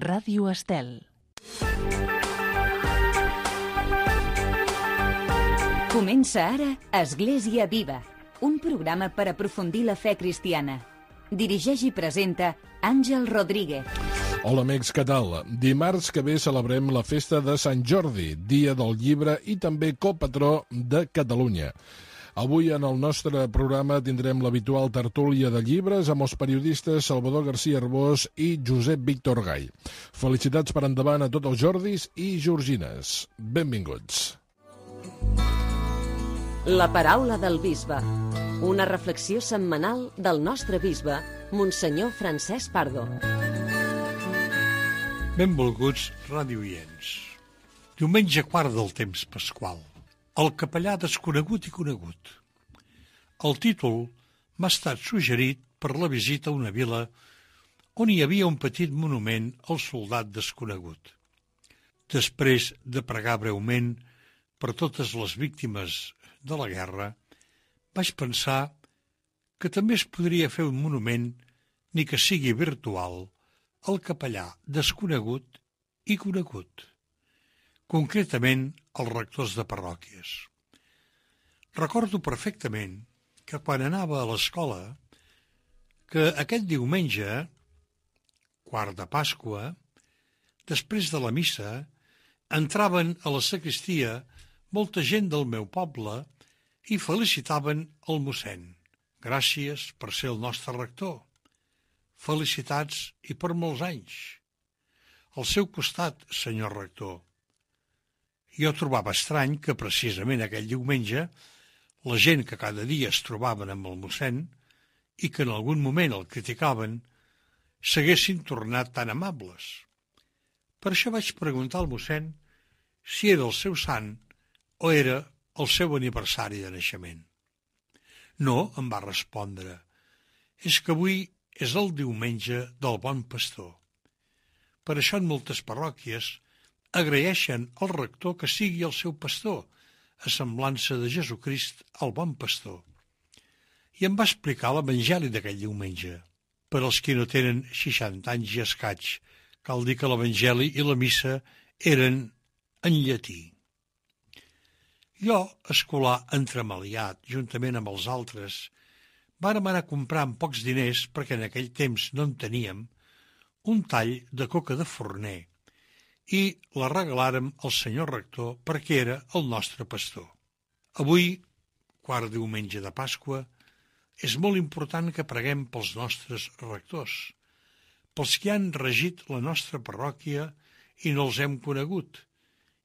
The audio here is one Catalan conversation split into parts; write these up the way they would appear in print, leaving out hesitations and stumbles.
Ràdio Estel. Comença ara Església Viva, un programa per aprofundir la fe cristiana. Dirigeix i presenta Àngel Rodríguez. Hola amics, què tal? Dimarts que ve celebrem la festa de Sant Jordi, dia del llibre i també copatró de Catalunya. Avui en el nostre programa tindrem l'habitual tertúlia de llibres amb els periodistes Salvador García Arbós i Josep Víctor Gai. Felicitats per endavant a tots els Jordis i Georgines. Benvinguts. La paraula del bisbe. Una reflexió setmanal del nostre bisbe, Monsenyor Francesc Pardo. Benvolguts radioients. Diumenge quart del temps pasqual. El capellà desconegut i conegut. El títol m'ha estat suggerit per la visita a una vila on hi havia un petit monument al soldat desconegut. Després de pregar breument per totes les víctimes de la guerra, vaig pensar que també es podria fer un monument, ni que sigui virtual, al capellà desconegut i conegut. Concretament als rectors de parròquies. Recordo perfectament que quan anava a l'escola, que aquest diumenge, quart de Pasqua, després de la missa, entraven a la sagristia molta gent del meu poble i felicitaven el mossèn. Gràcies per ser el nostre rector. Felicitats i per molts anys. Al seu costat, senyor rector. Jo trobava estrany que precisament aquell diumenge la gent que cada dia es trobaven amb el mossèn i que en algun moment el criticaven s'haguessin tornat tan amables. Per això vaig preguntar al mossèn si era el seu sant o era el seu aniversari de naixement. No, em va respondre, és que avui és el diumenge del Bon Pastor. Per això en moltes parròquies agraeixen al rector que sigui el seu pastor, a semblança de Jesucrist, el bon pastor. I em va explicar l'evangeli d'aquell diumenge. Per als que no tenen 60 anys i escaig, cal dir que l'evangeli i la missa eren en llatí. Jo, escolar entremaliat, juntament amb els altres, vàrem anar a comprar amb pocs diners, perquè en aquell temps no en teníem, un tall de coca de forner, i la regalàrem al senyor rector perquè era el nostre pastor. Avui, quart diumenge de Pasqua, és molt important que preguem pels nostres rectors, pels que han regit la nostra parròquia i no els hem conegut,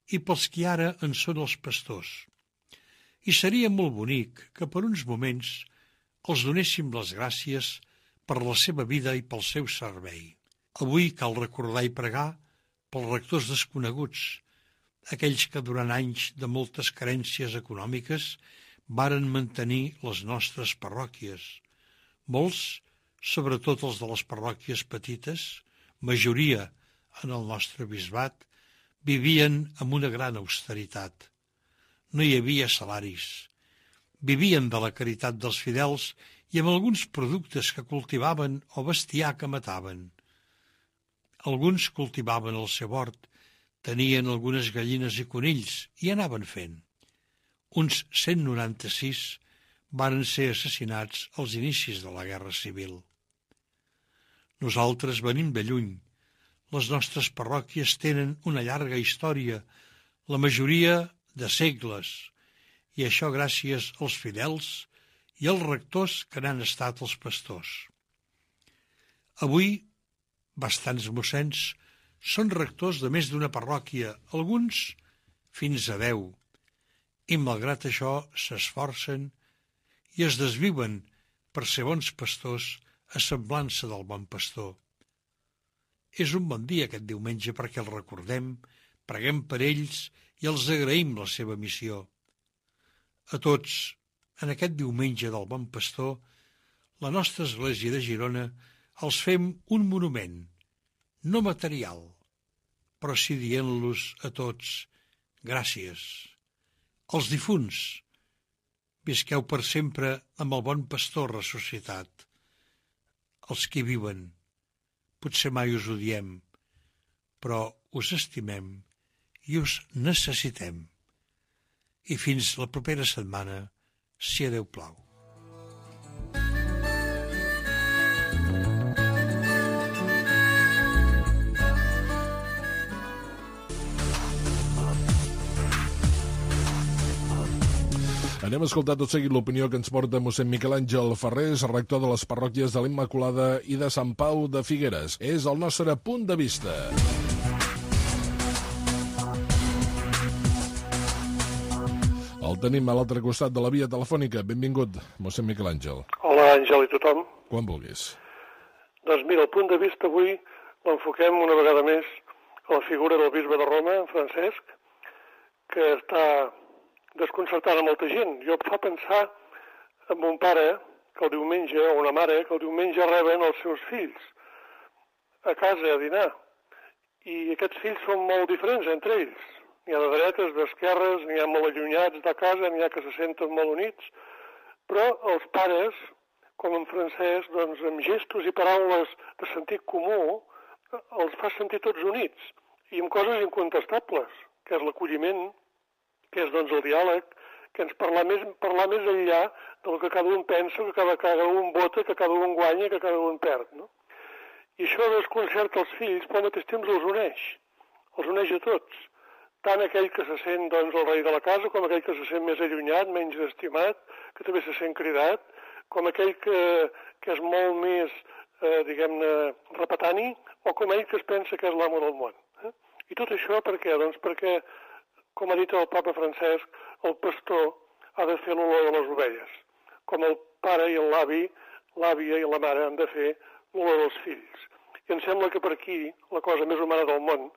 i pels que ara en són els pastors. I seria molt bonic que per uns moments els donéssim les gràcies per la seva vida i pel seu servei. Avui cal recordar i pregar pels rectors desconeguts, aquells que durant anys de moltes carències econòmiques varen mantenir les nostres parròquies. Molts, sobretot els de les parròquies petites, majoria en el nostre bisbat, vivien amb una gran austeritat. No hi havia salaris. Vivien de la caritat dels fidels i amb alguns productes que cultivaven o bestiar que mataven. Alguns cultivaven el seu hort, tenien algunes gallines i conills i anaven fent. Uns 196 varen ser assassinats als inicis de la Guerra Civil. Nosaltres venim de lluny. Les nostres parròquies tenen una llarga història, la majoria de segles, i això gràcies als fidels i als rectors que n'han estat els pastors. Avui, bastants mossens són rectors de més d'una parròquia, alguns fins a 10, i malgrat això s'esforcen i es desviuen per ser bons pastors a semblança del bon pastor. És un bon dia aquest diumenge perquè els recordem, preguem per ells i els agraïm la seva missió. A tots, en aquest diumenge del bon pastor, la nostra església de Girona els fem un monument, no material, però sí dient-los a tots gràcies. Els difunts, visqueu per sempre amb el bon pastor ressuscitat. Els que viuen, potser mai us ho diem, però us estimem i us necessitem. I fins la propera setmana, si a Déu plau. Anem a escoltar tot seguit l'opinió que ens porta mossèn Miquel Àngel Ferrés, rector de les parròquies de l'Immaculada i de Sant Pau de Figueres. És el nostre punt de vista. El tenim a l'altre costat de la via telefònica. Benvingut, mossèn Miquel Àngel. Hola, Àngel i tothom. Quan vulguis. Doncs mira, el punt de vista avui l'enfoquem una vegada més a la figura del bisbe de Roma, Francesc, que està desconcertant a molta gent. Jo em fa pensar en un pare que el diumenge, o una mare, que el diumenge reben els seus fills a casa a dinar. I aquests fills són molt diferents entre ells. N'hi ha de dretes, d'esquerres, n'hi ha molt allunyats de casa, n'hi ha que se senten molt units. Però els pares, com en Francesc, doncs amb gestos i paraules de sentit comú, els fa sentir tots units. I amb coses incontestables, que és l'acolliment, que és doncs el diàleg, que ens parlar més enllà del que cada un pensa, que cada un vota, que cada un guanya, que cada un perd, no? I això desconcerta els fills, però al mateix temps els uneix a tots. Tant aquell que se sent doncs el rei de la casa, com aquell que se sent més allunyat, menys estimat, que també se sent cridat, com aquell que és molt més, diguem-ne, repetani, o com ell que es pensa que és l'amo del món. I tot això per què? Doncs perquè, com ha dit el papa Francesc, el pastor ha de fer l'olor de les ovelles, com el pare i l'avi, l'àvia i la mare han de fer l'olor dels fills. I em sembla que per aquí, la cosa més humana del món,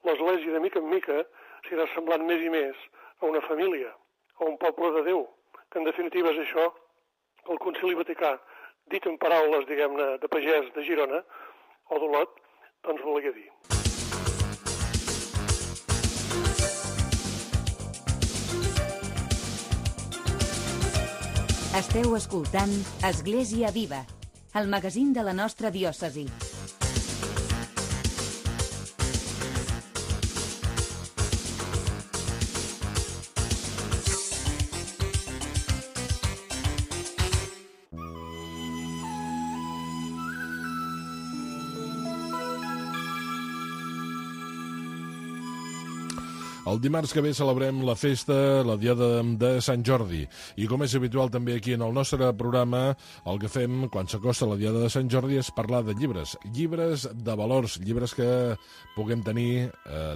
l'Església de mica en mica s'irà semblant més i més a una família, a un poble de Déu, que en definitiva és això que el Concili Vaticà, dit en paraules, diguem-ne, de pagès de Girona, o d'Olot, doncs volia dir. Esteu escoltant Església Viva, el magazín de la nostra diòcesi. El dimarts que ve celebrem la festa, la diada de Sant Jordi. I com és habitual també aquí en el nostre programa, el que fem quan s'acosta la diada de Sant Jordi és parlar de llibres. Llibres de valors, llibres que puguem tenir,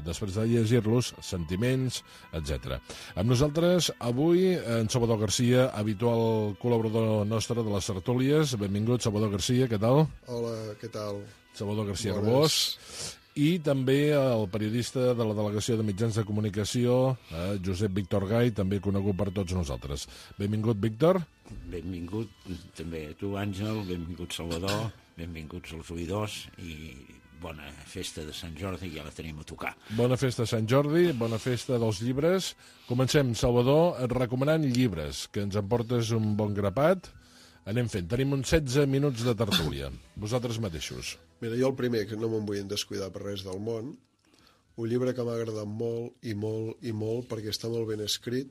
després de llegir-los, sentiments, etc. Amb nosaltres, avui, en Salvador Garcia, habitual col·laborador nostre de les tertúlies. Benvingut, Salvador Garcia, què tal? Hola, què tal? Salvador Garcia Arbós. I també el periodista de la Delegació de Mitjans de Comunicació, Josep Víctor Gai, també conegut per tots nosaltres. Benvingut, Víctor. Benvingut també a tu, Àngel, benvingut, Salvador, benvinguts els oïdors i bona festa de Sant Jordi, ja la tenim a tocar. Bona festa de Sant Jordi, bona festa dels llibres. Comencem, Salvador, recomanant llibres, que ens en portes un bon grapat. Anem fent. Tenim uns 16 minuts de tertúlia. Vosaltres mateixos. Mira, jo el primer, que no me'n vull descuidar per res del món, un llibre que m'ha agradat molt i molt i molt perquè està molt ben escrit,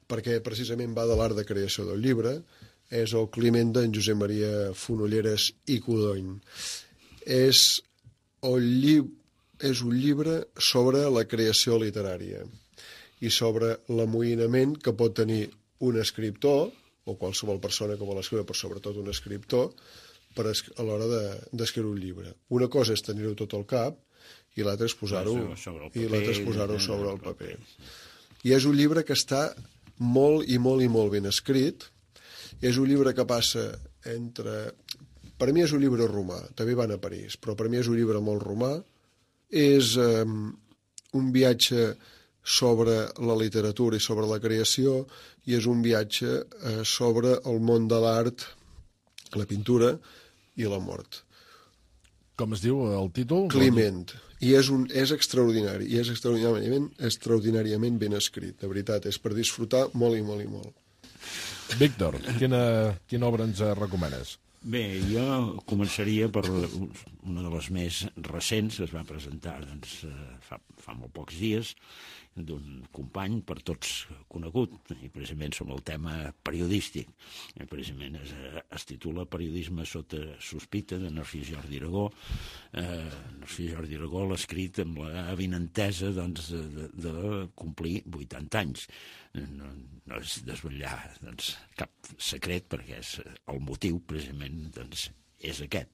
perquè precisament va de l'art de creació del llibre, és el Climent d'en Josep Maria Fonolleres i Codony. És un llibre sobre la creació literària i sobre l'amoïnament que pot tenir un escriptor, o qualsevol persona que vol escriure, però sobretot un escriptor, a l'hora d'escriure un llibre. Una cosa és tenir-ho tot al cap i l'altra és posar-ho sobre el paper. I és un llibre que està molt i molt i molt ben escrit. És un llibre que passa entre... Per mi és un llibre romà, també van a París, però per mi és un llibre molt romà. És un viatge sobre la literatura i sobre la creació i és un viatge sobre el món de l'art, la pintura i la mort. Com es diu el títol? Climent. I és extraordinari, i és extraordinàriament ben escrit, de veritat, és per disfrutar molt i molt i molt. Víctor, quina obra ens recomanes? Bé, jo començaria per una de les més recents, que es va presentar fa molt pocs dies, d'un company per tots conegut, i precisament sobre el tema periodístic. Precisament es titula Periodisme sota sospita, de Narcís Jordi Aragó. Narcís Jordi Aragó l'ha escrit amb l'avinentesa de complir 80 anys. No és desvetllar cap secret, perquè el motiu precisament és aquest.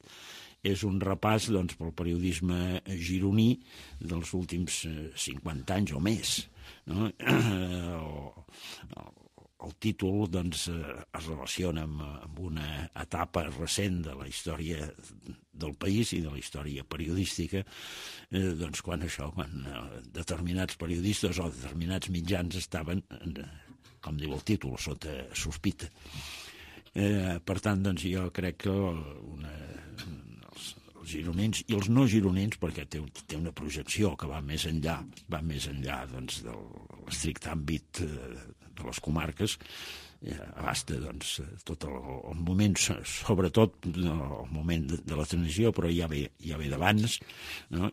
És un repàs pel periodisme gironí dels últims 50 anys o més. No? El títol es relaciona amb una etapa recent de la història del país i de la història periodística, quan determinats periodistes o determinats mitjans estaven, com diu el títol, sota sospita. Per tant, jo crec que els gironins i els no gironins, perquè té una projecció que va més enllà de l'estricte àmbit de les comarques, abasta tot el moment, sobretot el moment de la transició, però ja ve d'abans, no?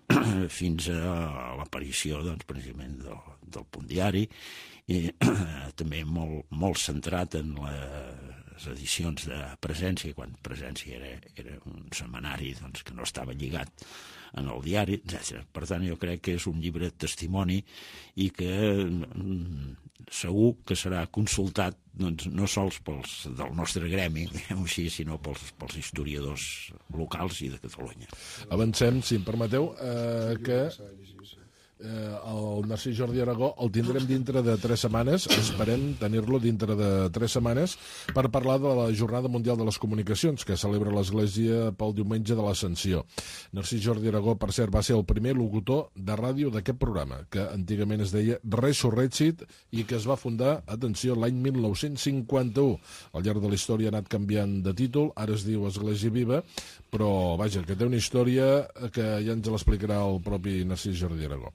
Fins a l'aparició precisament del Punt Diari, i també molt centrat en les edicions de Presència, quan Presència era un setmanari que no estava lligat en el diari, etc. Per tant, jo crec que és un llibre testimoni i que segur que serà consultat no sols pels del nostre gremi, diguem-ho així, sinó pels historiadors locals i de Catalunya. Avancem, si em permeteu, que el Narcís Jordi Aragó el tindrem dintre de 3 setmanes, esperem tenir-lo dintre de 3 setmanes per parlar de la Jornada Mundial de les Comunicacions que celebra l'Església pel diumenge de l'Ascensió. Narcís Jordi Aragó, per cert, va ser el primer locutor de ràdio d'aquest programa, que antigament es deia Resurrected i que es va fundar, atenció, l'any 1951. Al llarg de la història ha anat canviant de títol, ara es diu Església Viva, però vaja, que té una història que ja ens l'explicarà el propi Narcís Jordi Aragó.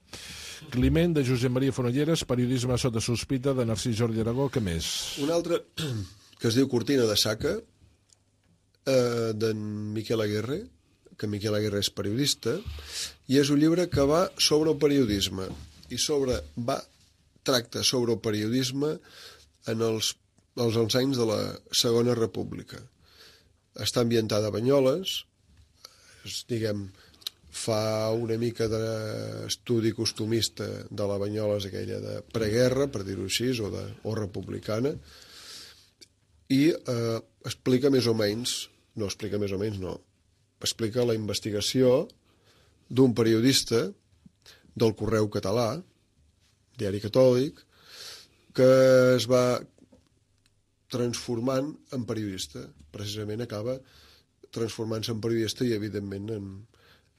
Climent, de Josep Maria Fonolleres, Periodisme sota sospita, de Narcís Jordi Aragó. Què més? Un altre que es diu Cortina de Saca, d'en Miquel Aguirre, que Miquel Aguirre és periodista, i és un llibre que va sobre el periodisme i tracta sobre el periodisme en els anys de la Segona República. Està ambientada a Banyoles, fa una mica d'estudi costumista de la Banyoles aquella de preguerra, per dir-ho així, o republicana, i explica més o menys, explica la investigació d'un periodista del Correu Català, diari catòlic, que es va transformant en periodista. Precisament acaba transformant-se en periodista i, evidentment,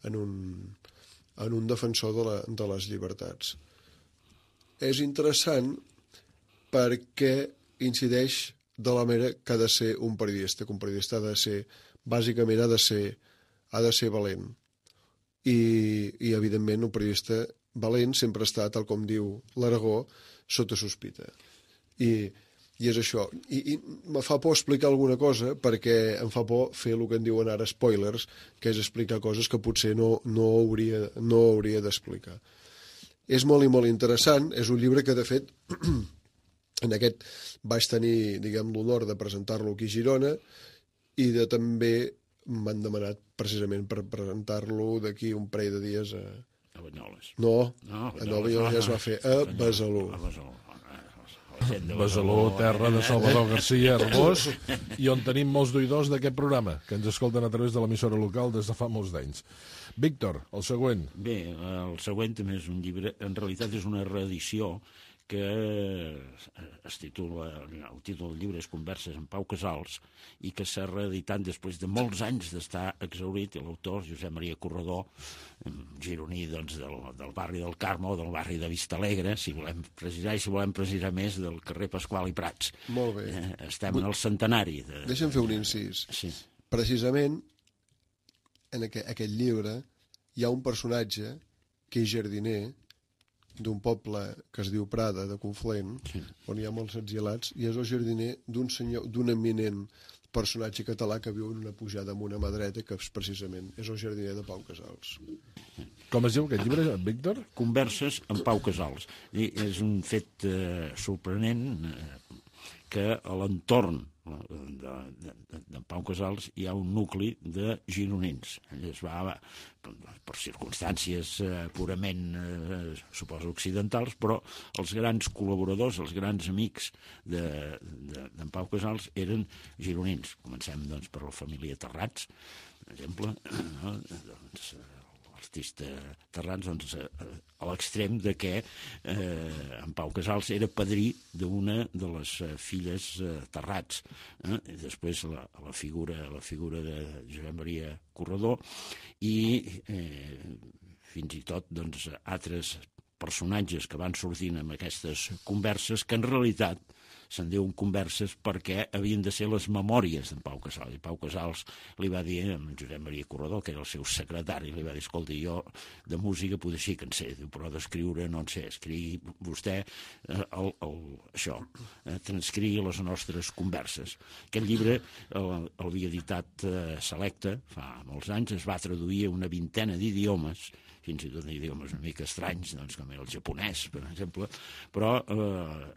en un defensor de les llibertats. És interessant perquè incideix de la manera que ha de ser un periodista, que un periodista bàsicament ha de ser valent. I evidentment, un periodista valent sempre està, tal com diu l'Aragó, sota sospita. I és això. I me fa por explicar alguna cosa perquè em fa por fer el que en diuen ara spoilers, que és explicar coses que potser no hauria d'explicar. És molt i molt interessant. És un llibre que, de fet, en aquest vaig tenir, l'honor de presentar-lo aquí a Girona i també m'han demanat precisament per presentar-lo d'aquí un parell de dies a Banyoles. No, a Banyoles ja es va fer a Besalú. Besalú, terra de Salvador García Arbós, i on tenim molts d'oïdors d'aquest programa, que ens escolten a través de l'emissora local des de fa molts d'anys. Víctor, el següent. Bé, el següent també és un llibre, en realitat és una reedició que es titula, el títol del llibre és Converses amb Pau Casals, i que s'ha reeditat després de molts anys d'estar exhaurit, i l'autor, Josep Maria Corredor, gironí del barri del Carme o del barri de Vistalegre, si volem precisar, i si volem precisar més, del carrer Pasqual i Prats. Molt bé. Estem en el centenari. Deixa'm fer un incís. Sí. Precisament, en aquest llibre, hi ha un personatge que és jardiner d'un poble que es diu Prada, de Conflent, sí, on hi ha molts exiliats, i és el jardiner d'un senyor, d'un eminent personatge català que viu en una pujada amb una mà dreta, que precisament és el jardiner de Pau Casals. Com es diu aquest llibre, Víctor? Converses amb Pau Casals. I és un fet sorprenent que a l'entorn de Pau Casals hi ha un nucli de gironins. Es va, per circumstàncies purament, suposo, occidentals, però els grans col·laboradors, els grans amics d'en Pau Casals eren gironins. Comencem, doncs, per la família Terrats, per exemple, no? L'artista Terrats, doncs, a l'extrem de que en Pau Casals era padrí d'una de les filles Terrats. I després la figura de Josep Maria Corredor i fins i tot, doncs, altres personatges que van sortint amb aquestes converses que en realitat se'n diuen converses perquè havien de ser les memòries d'en Pau Casals. I Pau Casals li va dir a Josep Maria Corredor, que era el seu secretari, li va dir, escolta, jo de música potser sí que en sé, però d'escriure no en sé, escrigui vostè això, transcrigui les nostres converses. Aquest llibre l'havia editat Selecta fa molts anys, es va traduir a una vintena d'idiomes, fins i tot idiomes una mica estranys, doncs, com era el japonès, per exemple, però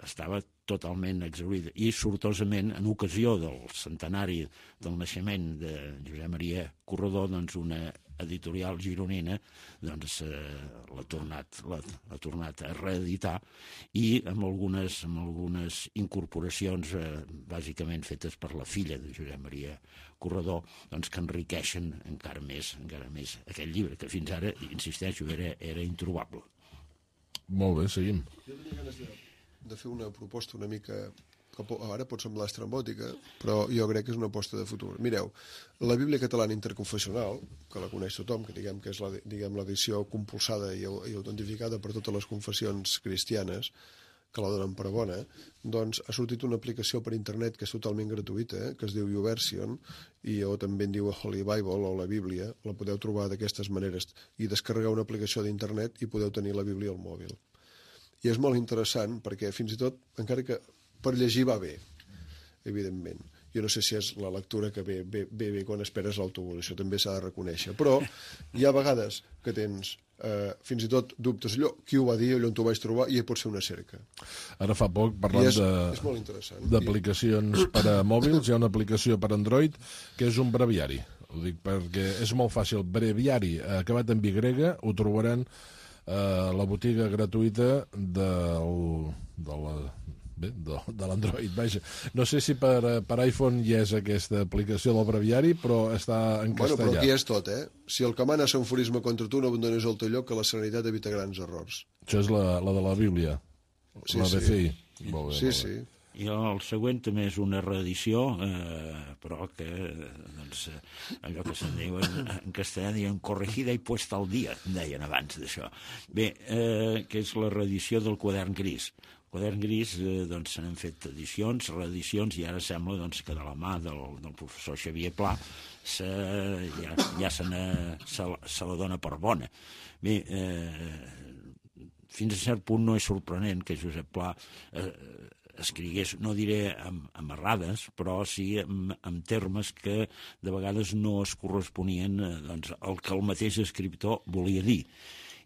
estava totalment exhaurida. I sortosament, en ocasió del centenari del naixement de Josep Maria Corredor, doncs una editorial gironina doncs, l'ha tornat a reeditar i amb algunes incorporacions bàsicament fetes per la filla de Josep Maria Corredor, doncs, que enriqueixen encara més aquest llibre, que fins ara, insisteixo, era introbable. Molt bé, seguim. Jo tenia ganes de fer una proposta una mica, que ara pot semblar estrambòtica, però jo crec que és una aposta de futur. Mireu, la Bíblia Catalana Interconfessional, que la coneix tothom, que diguem que és l'edició compulsada i autentificada per totes les confessions cristianes, que la donen per bona, doncs ha sortit una aplicació per internet que és totalment gratuïta, que es diu YouVersion, o també en diu Holy Bible o la Bíblia. La podeu trobar d'aquestes maneres i descarregar una aplicació d'internet i podeu tenir la Bíblia al mòbil. I és molt interessant perquè fins i tot, encara que per llegir va bé, evidentment. Jo no sé si és la lectura que ve quan esperes l'autobús, això també s'ha de reconèixer. Però hi ha vegades que tens fins i tot dubtes, qui ho va dir, on t'ho vaig trobar, i pot ser una cerca. Ara fa poc, parlant d'aplicacions per a mòbils, hi ha una aplicació per Android que és un breviari. Ho dic perquè és molt fàcil. Breviari, acabat en Y, ho trobaran a la botiga gratuïta de l'Android, vaja. No sé si per iPhone hi és aquesta aplicació del breviari, però està en castellà. Bueno, però aquí és tot, Si el que mana és un aforisme contra tu, no abandones el teu lloc, que la serenitat evita grans errors. Això és la de la Bíblia, la BCI. Molt bé, sí. I el següent també és una reedició, però que, doncs, allò que se'n diu en castellà, diuen corregida i puesta al dia, deien abans d'això. Bé, que és la reedició del Quadern Gris. El Quadern Gris, doncs, se n'han fet edicions, reedicions, i ara sembla, doncs, que de la mà del professor Xavier Pla ja se la dona per bona. Bé, fins a cert punt no és sorprenent que Josep Pla escrigués, no diré amb errades, però sí amb termes que de vegades no es corresponien doncs, al que el mateix escriptor volia dir.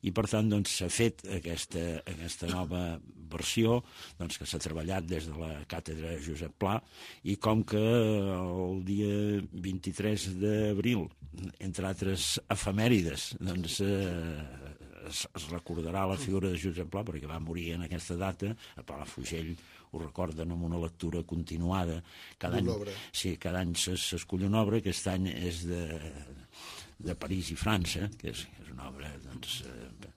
I, per tant, doncs, s'ha fet aquesta nova versió doncs, que s'ha treballat des de la càtedra Josep Pla, i com que el dia 23 d'abril, entre altres efemèrides, doncs, es recordarà la figura de Josep Pla, perquè va morir en aquesta data, a Palafrugell ho recorden amb una lectura continuada. Cada any s'escull una obra. Aquest any és de París i França, que és una obra, doncs,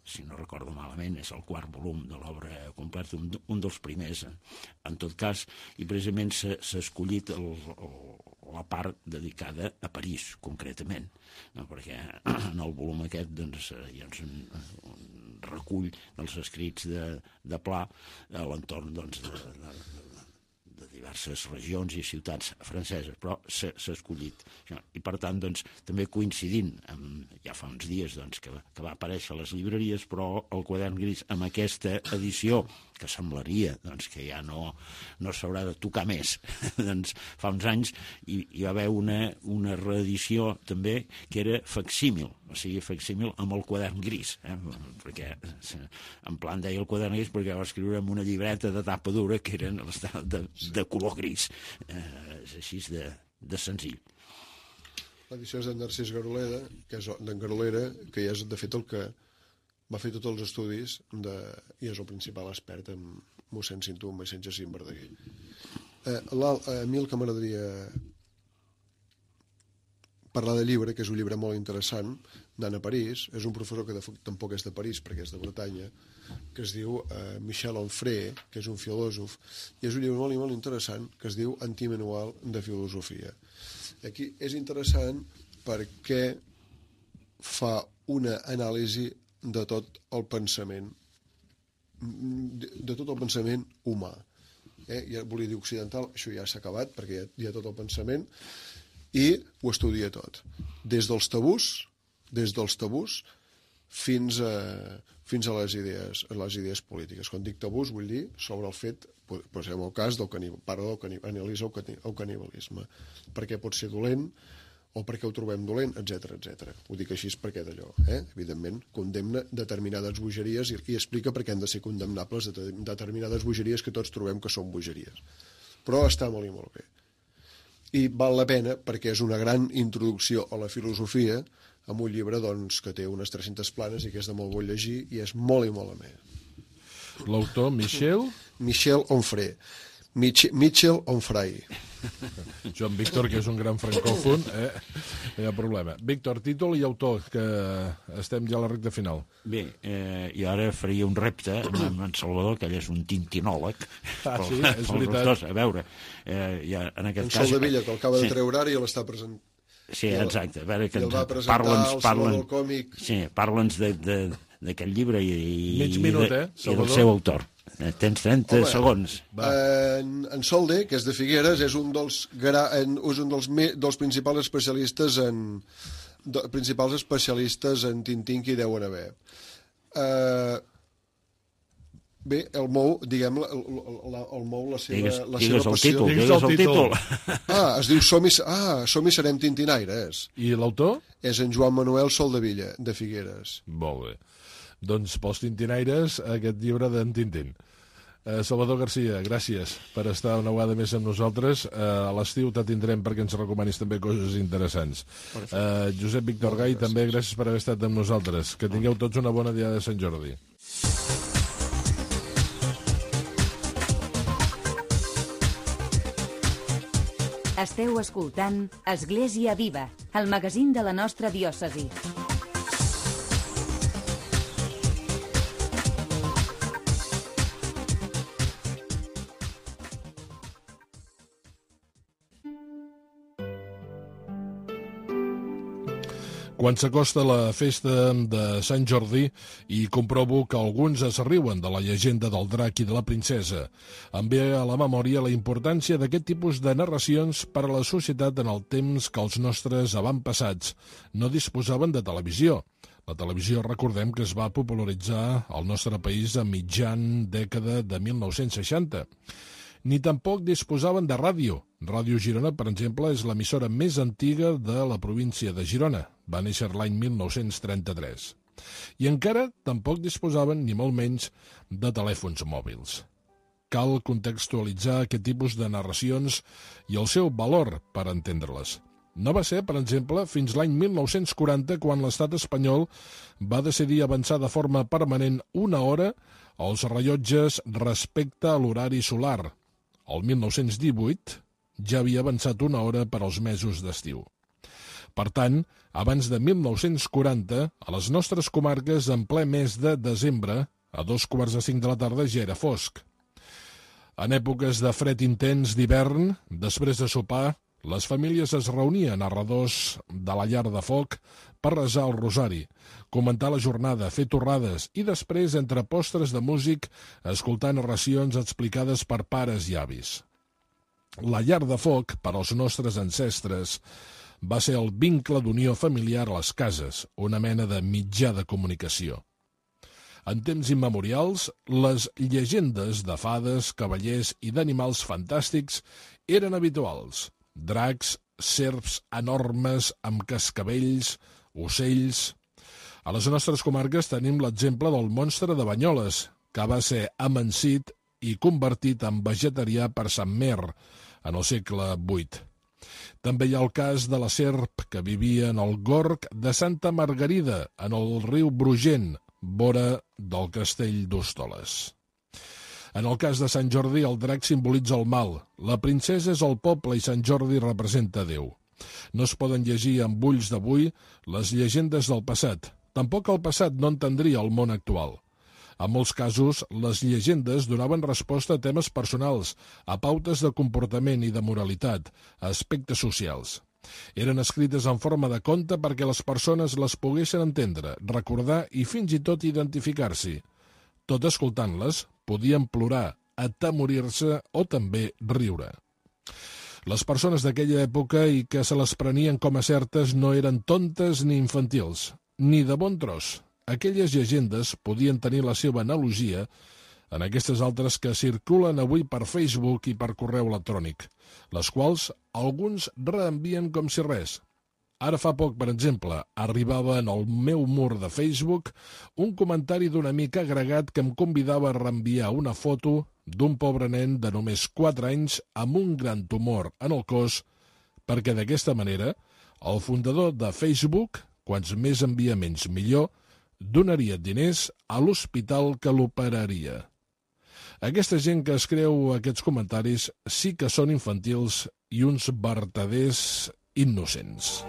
si no recordo malament, és el quart volum de l'obra completa, un dels primers, en tot cas, i precisament s'ha escollit la part dedicada a París, concretament, no? Perquè en el volum aquest doncs, hi ha un recull dels escrits de Pla a l'entorn doncs, de diverses regions i ciutats franceses, però s'ha escollit. I, per tant, doncs, també coincidint, ja fa uns dies doncs, que va aparèixer a les llibreries, però el Quadern Gris, amb aquesta edició que semblaria doncs, que ja no s'haurà de tocar més. Doncs fa uns anys hi va haver una reedició també que era facsímil, o sigui, facsímil amb el quadern gris, perquè en plan deia el quadern gris perquè va escriure en una llibreta de tapa dura que eren de color gris. És així de senzill. L'edició és d'en Narcís Garolera, que és d'en Garolera, que ja és, de fet, el que va fer tots els estudis i és el principal expert en mossèn Cinto, en mossèn Jacint Verdaguer. A mi el que m'agradaria parlar de llibre, que és un llibre molt interessant, d'Anna París, és un professor que tampoc és de París, perquè és de Bretanya, que es diu Michel Onfray, que és un filòsof, i és un llibre molt i molt interessant, que es diu Antimanual de filosofia. Aquí és interessant perquè fa una anàlisi de tot el pensament humà. Ja volia dir occidental, això ja s'ha acabat perquè hi ha tot el pensament i ho estudia tot. Des dels tabús fins a les idees polítiques. Quan dic tabús vull dir sobre el fet, posem el cas analitza el canibalisme. Per què pot ser dolent o per què ho trobem dolent, etc. Ho dic així perquè d'allò. Evidentment, condemna determinades bogeries i explica per què han de ser condemnables determinades bogeries que tots trobem que són bogeries. Però està molt i molt bé. I val la pena perquè és una gran introducció a la filosofia amb un llibre doncs, que té unes 300 planes i que és de molt bon llegir i és molt i molt amè. L'autor, Michel Onfray. Michel Onfray. Joan Víctor, que és un gran francòfon, no hi ha problema. Víctor, títol i autor, que estem ja a la recta final. Bé, jo ara faria un repte amb en Salvador, que ell és un tintinòleg. Sí, és veritat. A veure, ja en aquest cas... En Soldevilla, que el acaba de treure ara i l'està presentant. Sí, exacte. A veure, que el va presentar al Saló del Còmic. Sí, parla'ns d'aquest llibre i del seu autor. Tens 30 segons. En Solde, que és de Figueres, és un dels principals especialistes en Tintín que hi deuen haver. Bé, el mou, diguem, el mou la seva passió. Digues el títol. Es diu Som-hi serem tintinaires. I l'autor? És en Joan Manuel Soldevilla, de Figueres. Molt bé. Doncs pels tintinaires, aquest llibre d'en Tintín. Salvador Garcia, gràcies per estar una vegada més amb nosaltres. A l'estiu te tindrem perquè ens recomanis també coses interessants. Josep Víctor Gai, també gràcies per haver estat amb nosaltres. Que tingueu tots una bona dia de Sant Jordi. Esteu escoltant Església Viva, el magazín de la nostra diòcesi. Quan s'acosta la festa de Sant Jordi i comprovo que alguns es riuen de la llegenda del drac i de la princesa, em ve a la memòria la importància d'aquest tipus de narracions per a la societat en el temps que els nostres avantpassats no disposaven de televisió. La televisió, recordem que es va popularitzar al nostre país a mitjan dècada de 1960. Ni tampoc disposaven de ràdio. Ràdio Girona, per exemple, és l'emissora més antiga de la província de Girona. Va néixer l'any 1933. I encara tampoc disposaven, ni molt menys, de telèfons mòbils. Cal contextualitzar aquest tipus de narracions i el seu valor per entendre-les. No va ser, per exemple, fins l'any 1940 quan l'estat espanyol va decidir avançar de forma permanent una hora els rellotges respecte a l'horari solar. El 1918 ja havia avançat una hora per als mesos d'estiu. Per tant, abans de 1940, a les nostres comarques, en ple mes de desembre, a 4:45 de la tarda ja era fosc. En èpoques de fred intens d'hivern, després de sopar, les famílies es reunien a redós de la llar de foc per resar el rosari, comentar la jornada, fer torrades i després, entre postres de músic, escoltar narracions explicades per pares i avis. La llar de foc, per als nostres ancestres, va ser el vincle d'unió familiar a les cases, una mena de mitjà de comunicació. En temps immemorials, les llegendes de fades, cavallers i d'animals fantàstics eren habituals. Dracs, serps enormes amb cascavells, ocells... A les nostres comarques tenim l'exemple del monstre de Banyoles, que va ser amansit i convertit en vegetarià per Sant Mer en el segle VIII. També hi ha el cas de la serp que vivia en el gorg de Santa Margarida, en el riu Brugent, vora del castell d'Hostoles. En el cas de Sant Jordi, el drac simbolitza el mal, la princesa és el poble i Sant Jordi representa Déu. No es poden llegir amb ulls d'avui les llegendes del passat. Tampoc el passat no entendria el món actual. En molts casos, les llegendes donaven resposta a temes personals, a pautes de comportament i de moralitat, a aspectes socials. Eren escrites en forma de conte perquè les persones les poguessin entendre, recordar i fins i tot identificar-s'hi. Tot escoltant-les, podien plorar, atemorir-se o també riure. Les persones d'aquella època i que se les prenien com a certes no eren tontes ni infantils, ni de bon tros. Aquelles llegendes podien tenir la seva analogia en aquestes altres que circulen avui per Facebook i per correu electrònic, les quals alguns reenvien com si res. Ara fa poc, per exemple, arribava en el meu mur de Facebook un comentari d'un amic agregat que em convidava a reenviar una foto d'un pobre nen de només 4 anys amb un gran tumor en el cos, perquè d'aquesta manera el fundador de Facebook, quants més enviaments millor, donaria diners a l'hospital que l'operaria. Aquesta gent que escriu aquests comentaris sí que són infantils i uns vertaders innocents.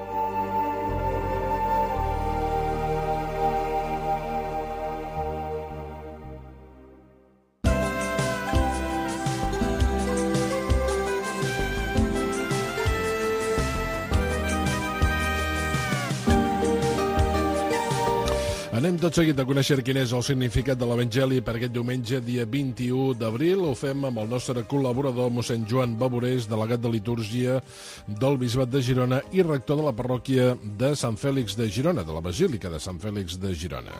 Anem tot seguit a conèixer quin és el significat de l'Evangeli per aquest diumenge, dia 21 d'abril. Ho fem amb el nostre col·laborador, mossèn Joan Baborés, delegat de litúrgia del Bisbat de Girona i rector de la parròquia de Sant Fèlix de Girona, de la Basílica de Sant Fèlix de Girona.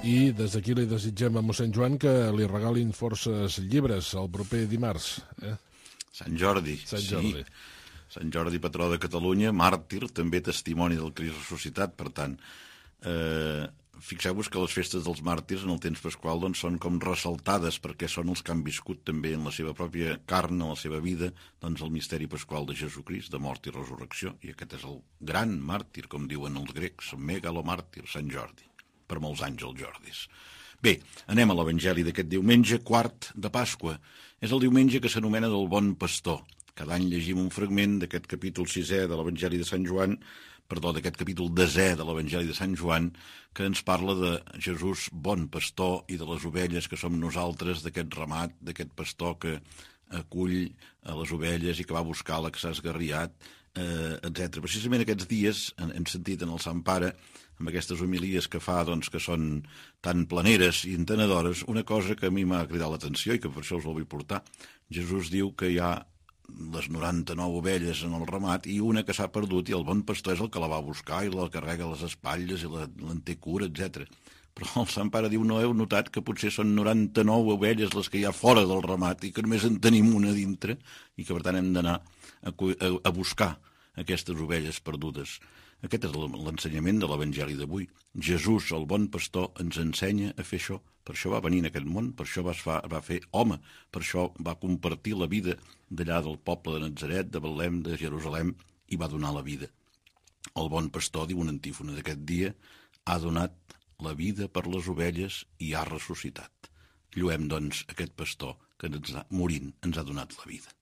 I des d'aquí li desitgem a mossèn Joan que li regalin forces llibres el proper dimarts. Sant Jordi. Sant Jordi. Sí. Sant Jordi, patró de Catalunya, màrtir, també testimoni del Crist ressuscitat, per tant... fixeu-vos que les festes dels màrtirs en el temps pasqual doncs, són com ressaltades perquè són els que han viscut també en la seva pròpia carn, en la seva vida, doncs, el misteri pasqual de Jesucrist, de mort i resurrecció, i aquest és el gran màrtir, com diuen els grecs, megalomàrtir, Sant Jordi, per molts anys els Jordis. Bé, anem a l'Evangeli d'aquest diumenge, quart de Pasqua. És el diumenge que s'anomena del Bon Pastor. Cada any llegim un fragment d'aquest capítol 6è de l'Evangeli de Sant Joan, d'aquest capítol 10è de l'Evangeli de Sant Joan, que ens parla de Jesús bon pastor i de les ovelles que som nosaltres, d'aquest ramat, d'aquest pastor que acull a les ovelles i que va buscar la que s'ha esgarriat, etc. Precisament aquests dies hem sentit en el Sant Pare, amb aquestes homilies que fa, doncs, que són tan planeres i entenedores, una cosa que a mi m'ha cridat l'atenció i que per això us la vull portar. Jesús diu que hi ha les 99 ovelles en el ramat i una que s'ha perdut i el bon pastor és el que la va buscar i la carrega a les espatlles i l'en té cura, etc. Però el Sant Pare diu, no heu notat que potser són 99 ovelles les que hi ha fora del ramat i que només en tenim una dintre i que per tant hem d'anar a buscar aquestes ovelles perdudes. Aquest és l'ensenyament de l'Evangeli d'avui. Jesús, el bon pastor, ens ensenya a fer això. Per això va venir en aquest món, per això va fer home, per això va compartir la vida d'allà del poble de Natzaret, de Betlem, de Jerusalem, i va donar la vida. El bon pastor, diu una antífona d'aquest dia, ha donat la vida per les ovelles i ha ressuscitat. Lluem, doncs, aquest pastor que morint ens ha donat la vida.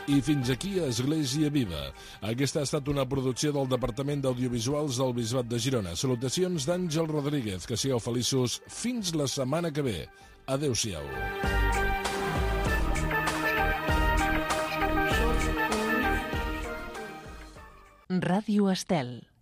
I fins aquí Església Viva. Aquesta ha estat una producció del Departament d'Audiovisuals del Bisbat de Girona. Salutacions d'Àngel Rodríguez. Que sigueu feliços fins la setmana que ve. Adéu-siau. Ràdio Estel.